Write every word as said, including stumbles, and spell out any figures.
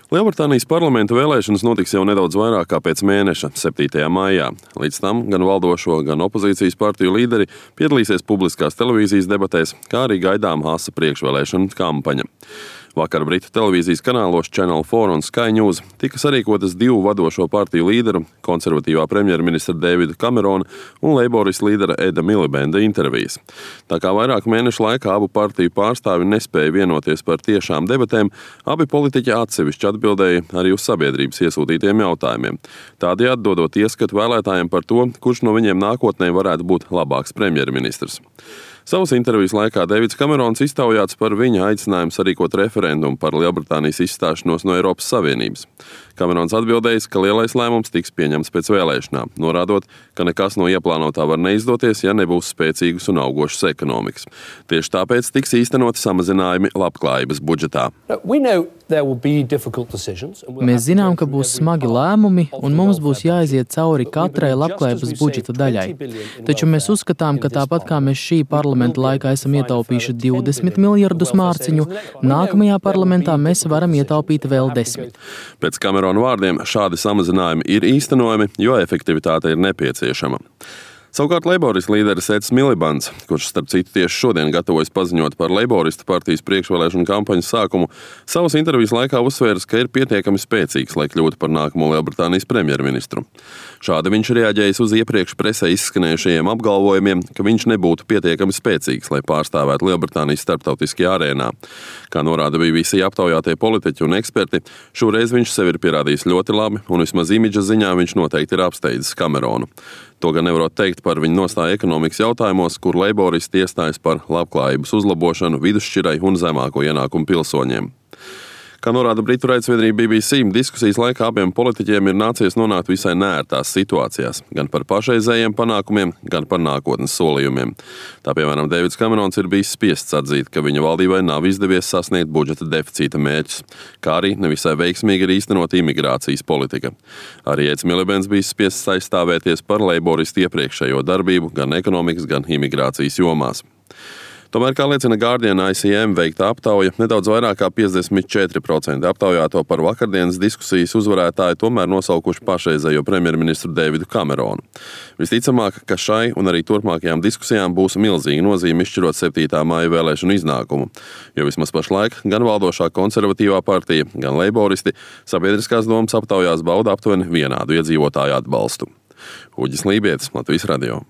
Lielbritānijas parlamenta vēlēšanas notiks jau nedaudz vairāk kā pēc mēneša, septītajā maijā. Līdz tam gan valdošo, gan opozīcijas partiju līderi piedalīsies publiskās televīzijas debatēs, kā arī gaidām asa priekšvēlēšanu kampaņa. Vakar Britu televīzijas kanālos Channel four un Sky News tika sarīkotas divu vadošo partiju līderu, konservatīvā premjerministra Davida Camerona un leiboristu līdera Eda Milibanda intervijas. Tā kā vairāku mēnešu laikā abu partiju pārstāvi nespēja vienoties par tiešām debatēm, abi politiķi atsevišķi atbildēja arī uz sabiedrības iesūtītiem jautājumiem, tādējādi dodot ieskatu vēlētājiem par to, kurš no viņiem nākotnē varētu būt labāks premjerministrs. Savas intervijas laikā Davids Camerons iztaujāts par viņa aicinājumu sarīkot referendumu par Lielbritānijas izstāšanos no Eiropas Savienības. Camerons atbildējis, ka lielais lēmums tiks pieņemts pēc vēlēšanām, norādot, ka nekas no ieplānotā var neizdoties, ja nebūs spēcīgas un augošas ekonomikas. Tieši tāpēc tiks īstenoti samazinājumi labklājības budžetā. Mēs zinām, ka būs smagi lēmumi, un mums būs jāiziet cauri katrai labklājības budžeta daļai. Taču mēs uzskatām, ka tāpat kā mēs šī parlamenta laikā esam ietaupījuši divdesmit miljardus mārciņu, nākamajā parlamentā mēs varam ietaupīt vēl desmit. Pēc Camerona vārdiem šādi samazinājumi ir īstenojami, jo efektivitāte ir nepieciešama. Savukārt leiboristu līderis Eds Milibants, kurš starp citu tieši šodien gatavojas paziņot par leiboristu partijas priekšvēlēšanu kampaņas sākumu, savas intervijas laikā uzsvērs, ka ir pietiekami spēcīgs, lai kļūtu par nākamo Lielbritānijas premjerministru. Šādi viņš reaģējis uz iepriekš presē izskanējušajiem apgalvojumiem, ka viņš nebūtu pietiekami spēcīgs, lai pārstāvētu Lielbritānijas starptautiskajā arēnā. Kā norāda B B C aptaujātie politiķi un eksperti, šoreiz viņš sevi ir pierādījis ļoti labi, un vismaz imidža ziņā viņš noteikti ir apsteidzis Cameronu. To gan nevarot teikt par viņu nostāju ekonomikas jautājumos, kur leiboristi iestājas par labklājības uzlabošanu vidusšķirai un zemāko ienākumu pilsoņiem. Kā norāda Britu raidsavienība B B C, diskusijas laikā abiem politiķiem ir nācies nonākt visai neērtās situācijās, gan par pašreizējiem panākumiem, gan par nākotnes solījumiem. Tā piemēram, Davids Camerons ir bijis spiests atzīt, ka viņa valdībai nav izdevies sasniegt budžeta deficīta mērķus, kā arī nevisai veiksmīgi ir īstenot imigrācijas politika. Arī Eds Milibants bijis spiests aizstāvēties par leiboristu iepriekšējo darbību gan ekonomikas, gan imigrācijas jomās. Tomēr, kā liecina Guardian I C M veikta aptauja, nedaudz vairāk kā piecdesmit četri procenti aptaujāto par vakardienas diskusijas uzvarētāju tomēr nosaukuši pašreizējo premjerministru Davidu Cameronu. Visticamāk, ka šai un arī turpmākajām diskusijām būs milzīga nozīme izšķirot septītā maija vēlēšanu iznākumu, jo vismaz pašlaik gan valdošā konservatīvā partija, gan leiboristi sabiedriskās domas aptaujās bauda aptuveni vienādu iedzīvotāju atbalstu. Uģis Lībietis, Latvijas radio.